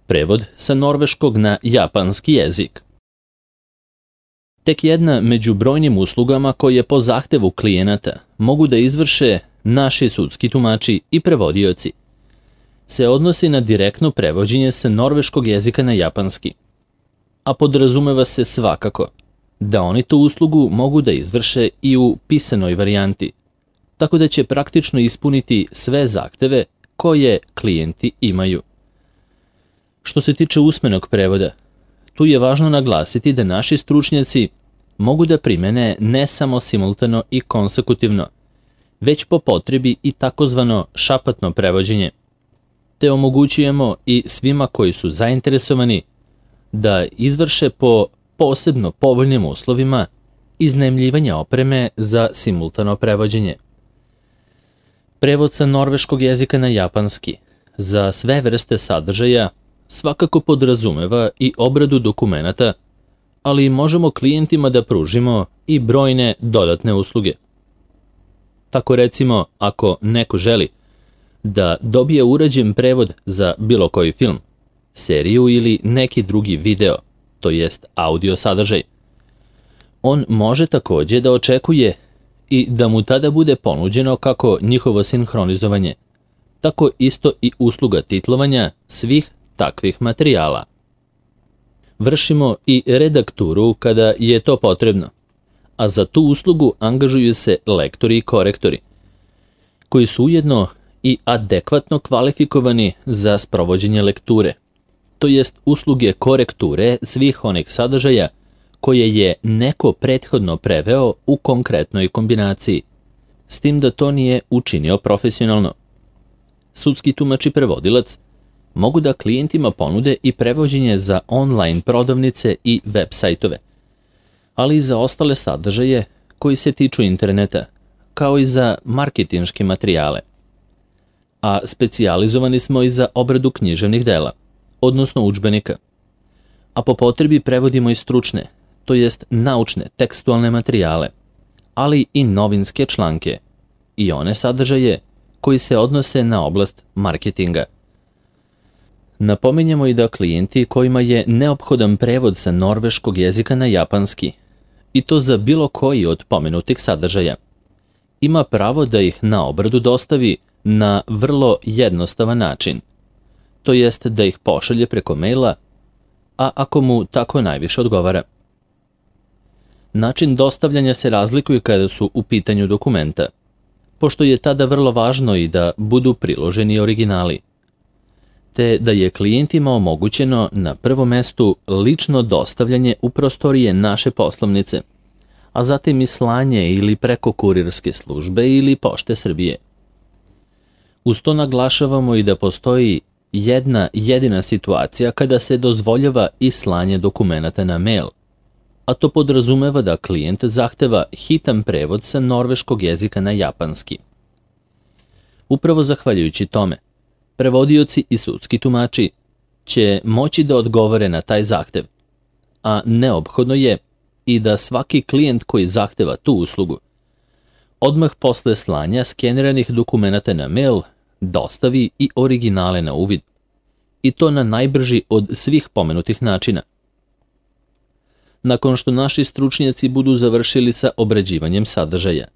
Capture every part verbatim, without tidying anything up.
Prevod sa norveškog na japanski jezik. Tek jedna među brojnim uslugama koje po zahtevu klijenata mogu da izvrše naši sudski tumači i prevodioci se odnosi na direktno prevođenje sa norveškog jezika na japanski, a podrazumeva se svakako da oni tu uslugu mogu da izvrše i u pisanoj varijanti, tako da će praktično ispuniti sve zahteve koje klijenti imaju. Što se tiče usmenog prevoda, tu je važno naglasiti da naši stručnjaci mogu da primene ne samo simultano i konsekutivno, već po potrebi i takozvano šapatno prevođenje, te omogućujemo i svima koji su zainteresovani da izvrše po posebno povoljnim uslovima iznajmljivanja opreme za simultano prevođenje. Prevod sa norveškog jezika na japanski za sve vrste sadržaja svakako podrazumeva i obradu dokumenata, ali možemo klijentima da pružimo i brojne dodatne usluge. Tako recimo, ako neko želi da dobije urađen prevod za bilo koji film, seriju ili neki drugi video, to jest audio sadržaj, on može takođe da očekuje i da mu tada bude ponuđeno kako njihovo sinhronizovanje, tako isto i usluga titlovanja svih takvih materijala. Vršimo i redakturu kada je to potrebno, a za tu uslugu angažuju se lektori i korektori, koji su ujedno i adekvatno kvalifikovani za sprovođenje lekture, to jest usluge korekture svih onih sadržaja koje je neko prethodno preveo u konkretnoj kombinaciji, s tim da to nije učinio profesionalno. Sudski tumač i prevodilac mogu da klijentima ponude i prevođenje za online prodavnice i web sajtove, ali i za ostale sadržaje koji se tiču interneta, kao i za marketinške materijale. A specijalizovani smo i za obradu književnih dela, odnosno udžbenika. A po potrebi prevodimo i stručne, to jest naučne tekstualne materijale, ali i novinske članke i one sadržaje koji se odnose na oblast marketinga. Napominjemo i da klijenti kojima je neophodan prevod sa norveškog jezika na japanski, i to za bilo koji od pomenutih sadržaja, ima pravo da ih na obradu dostavi na vrlo jednostavan način, to jest da ih pošalje preko maila, a ako mu tako najviše odgovara. Način dostavljanja se razlikuje kada su u pitanju dokumenta, pošto je tada vrlo važno i da budu priloženi originali, te da je klijentima omogućeno na prvom mestu lično dostavljanje u prostorije naše poslovnice, a zatim i slanje ili preko kurirske službe ili Pošte Srbije. Uz to naglašavamo i da postoji jedna jedina situacija kada se dozvoljava i slanje dokumenata na mail, a to podrazumeva da klijent zahteva hitan prevod sa norveškog jezika na japanski. Upravo zahvaljujući tome, prevodioci i sudski tumači će moći da odgovore na taj zahtev, a neophodno je i da svaki klijent koji zahteva tu uslugu odmah posle slanja skeniranih dokumenata na mail dostavi i originale na uvid, i to na najbrži od svih pomenutih načina. Nakon što naši stručnjaci budu završili sa obrađivanjem sadržaja,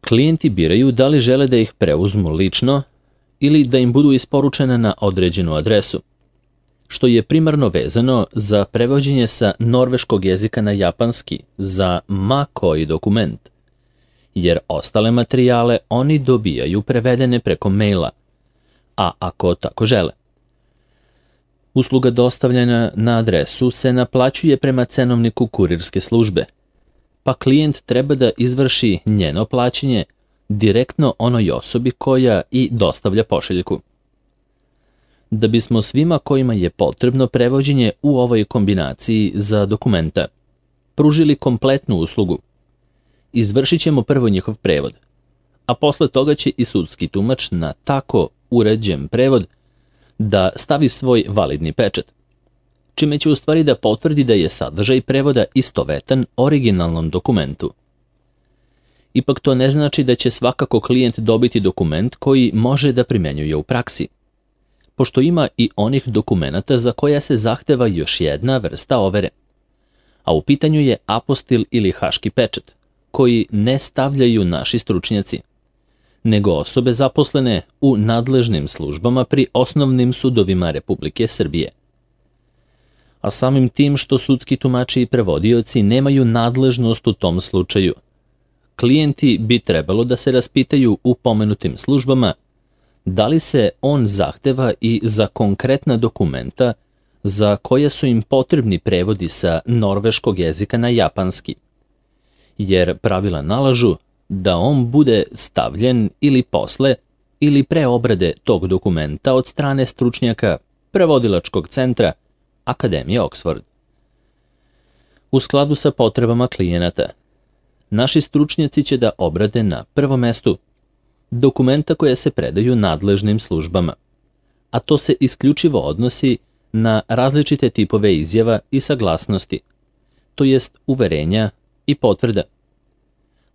klijenti biraju da li žele da ih preuzmu lično ili da im budu isporučene na određenu adresu, što je primarno vezano za prevođenje sa norveškog jezika na japanski za ma koji dokument, jer ostale materijale oni dobijaju prevedene preko maila, a ako tako žele. Usluga dostavljanja na adresu se naplaćuje prema cenovniku kurirske službe, pa klijent treba da izvrši njeno plaćanje direktno onoj osobi koja i dostavlja pošiljku. Da bismo svima kojima je potrebno prevođenje u ovoj kombinaciji za dokumenta pružili kompletnu uslugu, izvršit ćemo prvo njihov prevod, a posle toga će i sudski tumač na tako uređen prevod da stavi svoj validni pečat, čime će u stvari da potvrdi da je sadržaj prevoda istovetan originalnom dokumentu. Ipak to ne znači da će svakako klijent dobiti dokument koji može da primenjuje u praksi, pošto ima i onih dokumenata za koja se zahteva još jedna vrsta overe. A u pitanju je apostil ili haški pečat, koji ne stavljaju naši stručnjaci, nego osobe zaposlene u nadležnim službama pri osnovnim sudovima Republike Srbije. A samim tim što sudski tumači i prevodioci nemaju nadležnost u tom slučaju, klijenti bi trebalo da se raspitaju u pomenutim službama da li se on zahteva i za konkretna dokumenta za koja su im potrebni prevodi sa norveškog jezika na japanski, jer pravila nalažu da on bude stavljen ili posle ili pre obrade tog dokumenta od strane stručnjaka prevodilačkog centra Akademije Oxford. U skladu sa potrebama klijenata, naši stručnjaci će da obrade na prvom mestu dokumenta koje se predaju nadležnim službama, a to se isključivo odnosi na različite tipove izjava i saglasnosti, to jest uverenja i potvrda,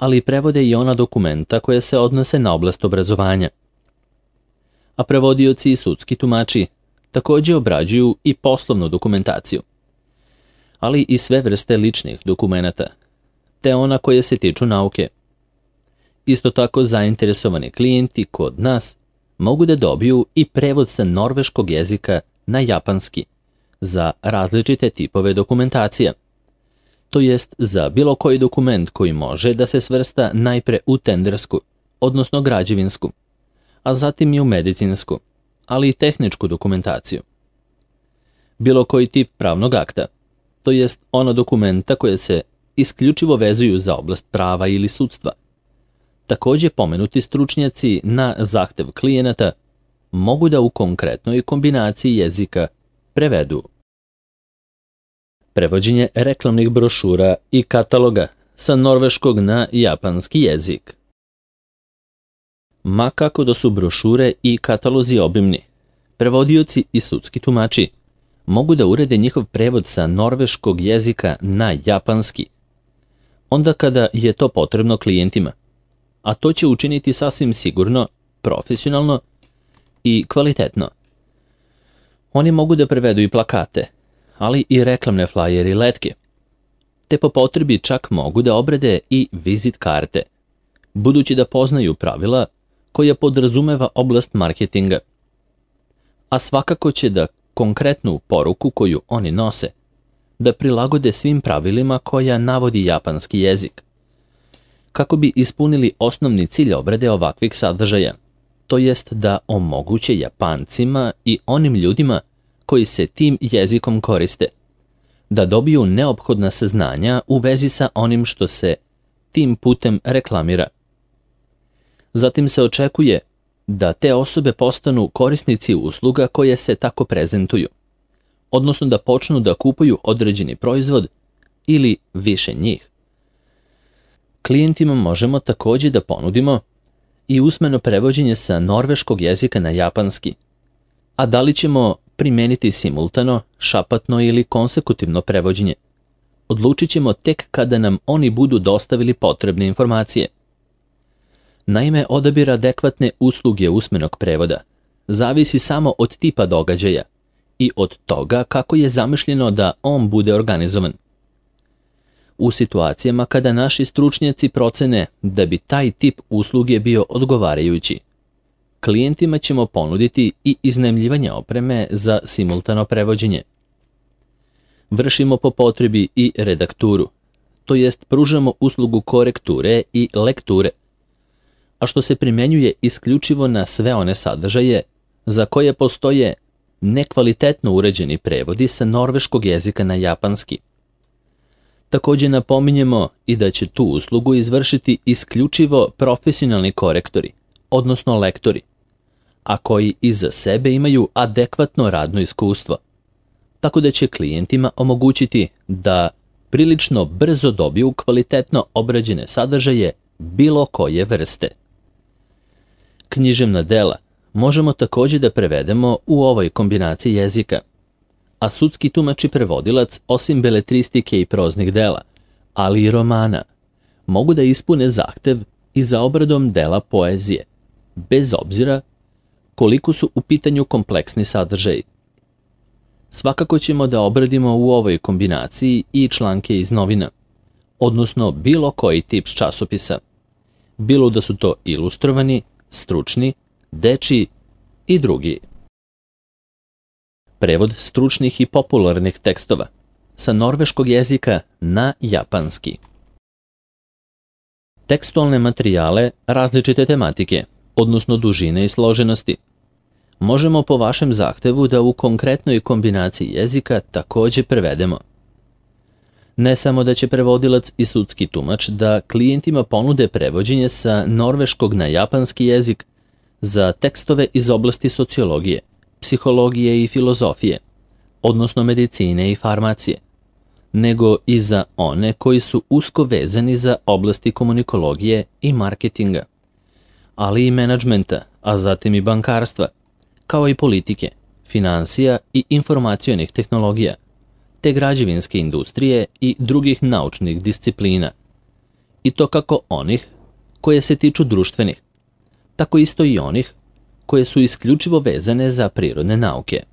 ali prevode i ona dokumenta koje se odnose na oblast obrazovanja. A prevodioci i sudski tumači takođe obrađuju i poslovnu dokumentaciju, ali i sve vrste ličnih dokumenata, te ona koje se tiču nauke. Isto tako zainteresovani klijenti kod nas mogu da dobiju i prevod sa norveškog jezika na japanski za različite tipove dokumentacija, to jest za bilo koji dokument koji može da se svrsta najpre u tendersku, odnosno građevinsku, a zatim i u medicinsku, ali i tehničku dokumentaciju. Bilo koji tip pravnog akta, to jest ono dokumenta koje se isključivo vezuju za oblast prava ili sudstva. Takođe pomenuti stručnjaci na zahtev klijenata mogu da u konkretnoj kombinaciji jezika prevedu prevođenje reklamnih brošura i kataloga sa norveškog na japanski jezik. Ma kako da su brošure i katalozi obimni, prevodioci i sudski tumači mogu da urede njihov prevod sa norveškog jezika na japanski, onda kada je to potrebno klijentima, a to će učiniti sasvim sigurno, profesionalno i kvalitetno. Oni mogu da prevedu i plakate, ali i reklamne flajere i letke, te po potrebi čak mogu da obrade i vizit karte, budući da poznaju pravila koja podrazumeva oblast marketinga. A svakako će da konkretnu poruku koju oni nose da prilagode svim pravilima koja navodi japanski jezik, kako bi ispunili osnovni cilj obrade ovakvih sadržaja, to jest da omoguće Japancima i onim ljudima koji se tim jezikom koriste, da dobiju neophodna saznanja u vezi sa onim što se tim putem reklamira. Zatim se očekuje da te osobe postanu korisnici usluga koje se tako prezentuju, odnosno da počnu da kupuju određeni proizvod ili više njih. Klijentima možemo takođe da ponudimo i usmeno prevođenje sa norveškog jezika na japanski, a da li ćemo primeniti simultano, šapatno ili konsekutivno prevođenje, odlučit ćemo tek kada nam oni budu dostavili potrebne informacije. Naime, odabir adekvatne usluge usmenog prevoda zavisi samo od tipa događaja i od toga kako je zamišljeno da on bude organizovan. U situacijama kada naši stručnjaci procene da bi taj tip usluge bio odgovarajući, klijentima ćemo ponuditi i iznajmljivanje opreme za simultano prevođenje. Vršimo po potrebi i redakturu, to jest pružamo uslugu korekture i lekture, a što se primjenjuje isključivo na sve one sadržaje za koje postoje nekvalitetno uređeni prevodi sa norveškog jezika na japanski. Takođe napominjemo i da će tu uslugu izvršiti isključivo profesionalni korektori, odnosno lektori, a koji iza sebe imaju adekvatno radno iskustvo, tako da će klijentima omogućiti da prilično brzo dobiju kvalitetno obrađene sadržaje bilo koje vrste. Književna dela možemo takođe da prevedemo u ovoj kombinaciji jezika, a sudski tumač i prevodilac osim beletristike i proznih dela, ali i romana, mogu da ispune zahtev i za obradom dela poezije, bez obzira koliko su u pitanju kompleksni sadržaji. Svakako ćemo da obradimo u ovoj kombinaciji i članke iz novina, odnosno bilo koji tip časopisa, bilo da su to ilustrovani, stručni, dečiji i drugi. Prevod stručnih i popularnih tekstova sa norveškog jezika na japanski. Tekstualne materijale različite tematike, odnosno dužine i složenosti. Možemo po vašem zahtevu da u konkretnoj kombinaciji jezika takođe prevedemo. Ne samo da će prevodilac i sudski tumač da klijentima ponude prevođenje sa norveškog na japanski jezik za tekstove iz oblasti sociologije, psihologije i filozofije, odnosno medicine i farmacije, nego i za one koji su usko vezani za oblasti komunikologije i marketinga, ali i menadžmenta, a zatim i bankarstva, kao i politike, finansija i informacionih tehnologija, te građevinske industrije i drugih naučnih disciplina. I to kako onih koje se tiču društvenih, tako isto i onih koje su isključivo vezane za prirodne nauke.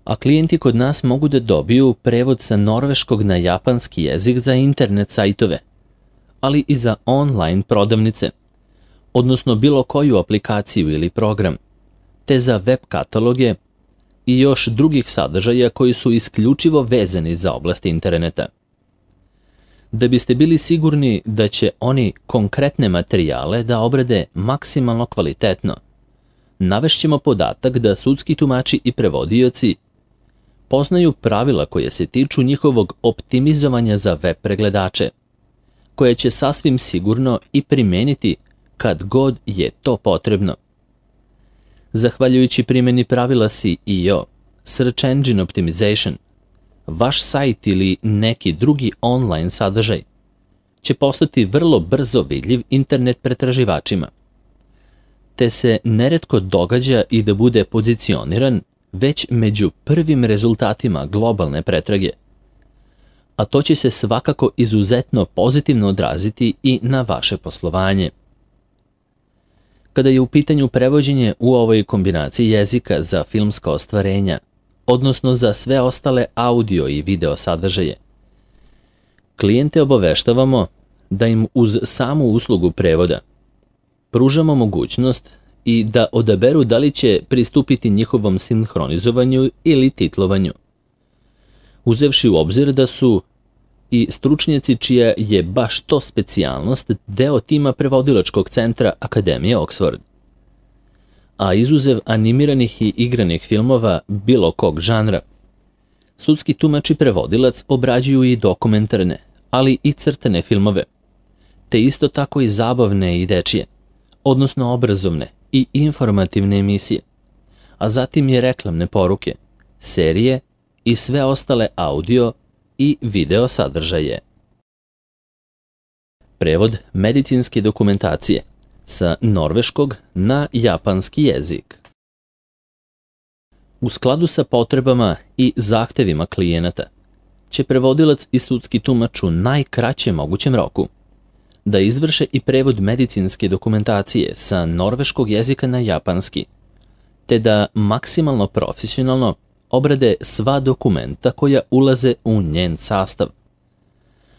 A klijenti kod nas mogu da dobiju prevod sa norveškog na japanski jezik za internet sajtove, ali i za online prodavnice, odnosno bilo koju aplikaciju ili program, te za web kataloge i još drugih sadržaja koji su isključivo vezani za oblast interneta. Da biste bili sigurni da će oni konkretne materijale da obrade maksimalno kvalitetno, navešćemo podatak da sudski tumači i prevodioci poznaju pravila koje se tiču njihovog optimizovanja za web pregledače, koje će sasvim sigurno i primeniti kad god je to potrebno. Zahvaljujući primjeni pravila S E O, Search Engine Optimization, vaš sajt ili neki drugi online sadržaj će postati vrlo brzo vidljiv internet pretraživačima, te se neretko događa i da bude pozicioniran već među prvim rezultatima globalne pretrage, a to će se svakako izuzetno pozitivno odraziti i na vaše poslovanje. Kada je u pitanju prevođenje u ovoj kombinaciji jezika za filmska ostvarenja, odnosno za sve ostale audio i video sadržaje, klijente obaveštavamo da im uz samu uslugu prevoda pružamo mogućnost i da odaberu da li će pristupiti njihovom sinhronizovanju ili titlovanju, uzevši u obzir da su i stručnjaci čija je baš to specijalnost deo tima prevodilačkog centra Akademije Oxford. A izuzev animiranih i igranih filmova bilo kog žanra, sudski tumač i prevodilac obrađuju i dokumentarne, ali i crtane filmove, te isto tako i zabavne i dečije, odnosno obrazovne i informativne emisije, a zatim i reklamne poruke, serije i sve ostale audio i video sadržaje. Prevod medicinske dokumentacije sa norveškog na japanski jezik. U skladu sa potrebama i zahtevima klijenata će prevodilac i sudski tumač u najkraćem mogućem roku da izvrše i prevod medicinske dokumentacije sa norveškog jezika na japanski, te da maksimalno profesionalno obrade sva dokumenta koja ulaze u njen sastav.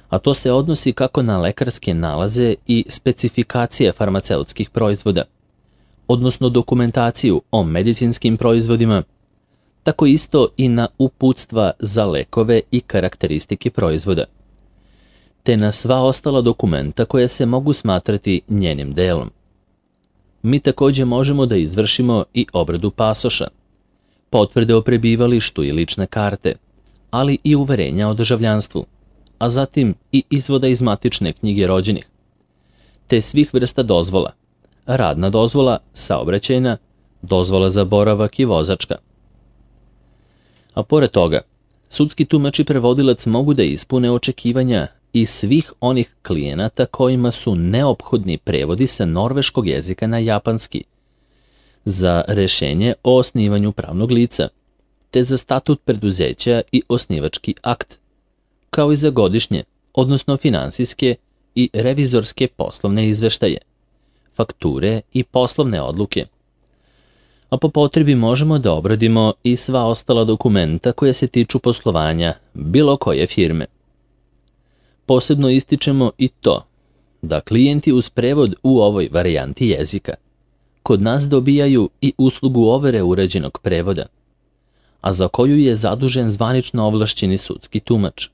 A to se odnosi kako na lekarske nalaze i specifikacije farmaceutskih proizvoda, odnosno dokumentaciju o medicinskim proizvodima, tako isto i na uputstva za lekove i karakteristike proizvoda, te na sva ostala dokumenta koja se mogu smatrati njenim delom. Mi takođe možemo da izvršimo i obradu pasoša, potvrde o prebivalištu i lične karte, ali i uverenja o državljanstvu, a zatim i izvoda iz matične knjige rođenih, te svih vrsta dozvola, radna dozvola, saobraćajna, dozvola za boravak i vozačka. A pored toga, sudski tumač i prevodilac mogu da ispune očekivanja i svih onih klijenata kojima su neophodni prevodi sa norveškog jezika na japanski, za rešenje o osnivanju pravnog lica, te za statut preduzeća i osnivački akt, kao i za godišnje, odnosno finansijske i revizorske poslovne izveštaje, fakture i poslovne odluke, a po potrebi možemo da obradimo i sva ostala dokumenta koja se tiču poslovanja bilo koje firme. Posebno ističemo i to da klijenti uz prevod u ovoj varijanti jezika kod nas dobijaju i uslugu overe urađenog prevoda, a za koju je zadužen zvanično ovlašćeni sudski tumač.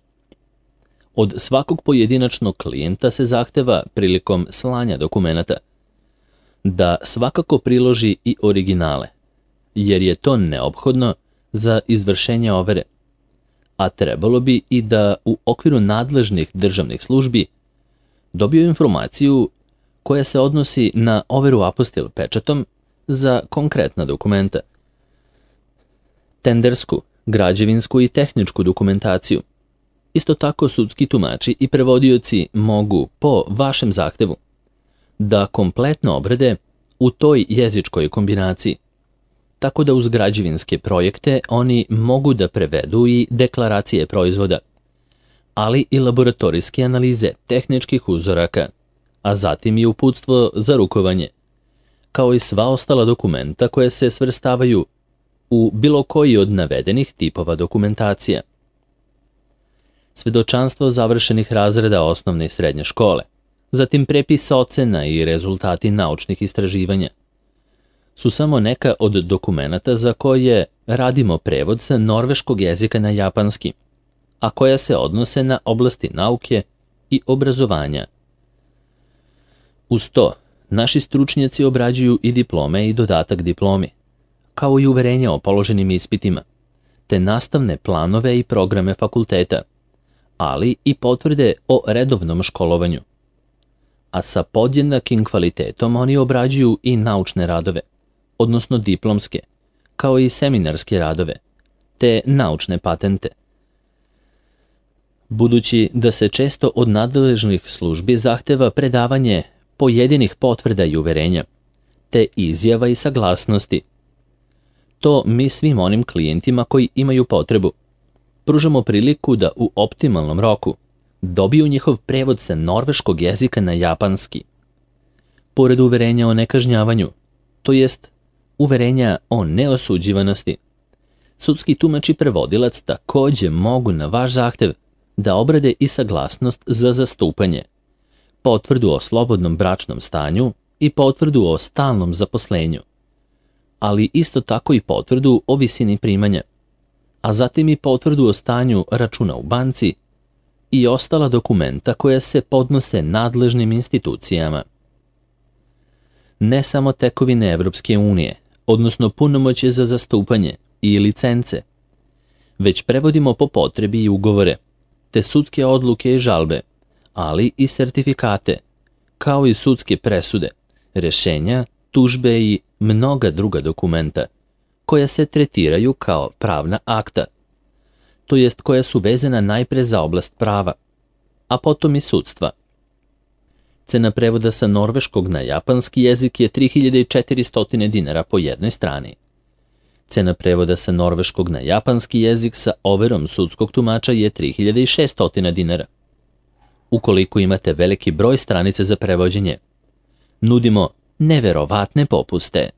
Od svakog pojedinačnog klijenta se zahteva prilikom slanja dokumenata da svakako priloži i originale, jer je to neophodno za izvršenje overe, a trebalo bi i da u okviru nadležnih državnih službi dobiju informaciju koja se odnosi na overu apostil pečatom za konkretna dokumenta, tendersku, građevinsku i tehničku dokumentaciju. Isto tako sudski tumači i prevodioci mogu, po vašem zahtevu, da kompletno obrade u toj jezičkoj kombinaciji, tako da uz građevinske projekte oni mogu da prevedu i deklaracije proizvoda, ali i laboratorijske analize tehničkih uzoraka, a zatim i uputstvo za rukovanje, kao i sva ostala dokumenta koje se svrstavaju u bilo koji od navedenih tipova dokumentacija. Svedočanstvo završenih razreda osnovne i srednje škole, zatim prepis ocena i rezultati naučnih istraživanja, su samo neka od dokumenata za koje radimo prevod sa norveškog jezika na japanski, a koja se odnose na oblasti nauke i obrazovanja. Uz to, naši stručnjaci obrađuju i diplome i dodatak diplomi, kao i uverenja o položenim ispitima, te nastavne planove i programe fakulteta, ali i potvrde o redovnom školovanju. A sa podjednakim kvalitetom oni obrađuju i naučne radove, odnosno diplomske, kao i seminarske radove, te naučne patente. Budući da se često od nadležnih službi zahteva predavanje pojedinih potvrda i uverenja, te izjava i saglasnosti, to mi svim onim klijentima koji imaju potrebu pružamo priliku da u optimalnom roku dobiju njihov prevod sa norveškog jezika na japanski. Pored uverenja o nekažnjavanju, to jest uverenja o neosuđivanosti, sudski tumač i prevodilac takođe mogu na vaš zahtev da obrade i saglasnost za zastupanje, potvrdu o slobodnom bračnom stanju i potvrdu o stalnom zaposlenju, ali isto tako i potvrdu o visini primanja, a zatim i potvrdu o stanju računa u banci i ostala dokumenta koja se podnose nadležnim institucijama. Ne samo tekovine Evropske unije, odnosno punomoćje za zastupanje i licence, već prevodimo po potrebi i ugovore, te sudske odluke i žalbe, ali i sertifikate, kao i sudske presude, rešenja, tužbe i mnoga druga dokumenta, koja se tretiraju kao pravna akta, to jest koja su vezana najpre za oblast prava, a potom i sudstva. Cena prevoda sa norveškog na japanski jezik je tri hiljade četiristo dinara po jednoj strani. Cena prevoda sa norveškog na japanski jezik sa overom sudskog tumača je tri hiljade šesto dinara. Ukoliko imate veliki broj stranica za prevođenje, nudimo neverovatne popuste.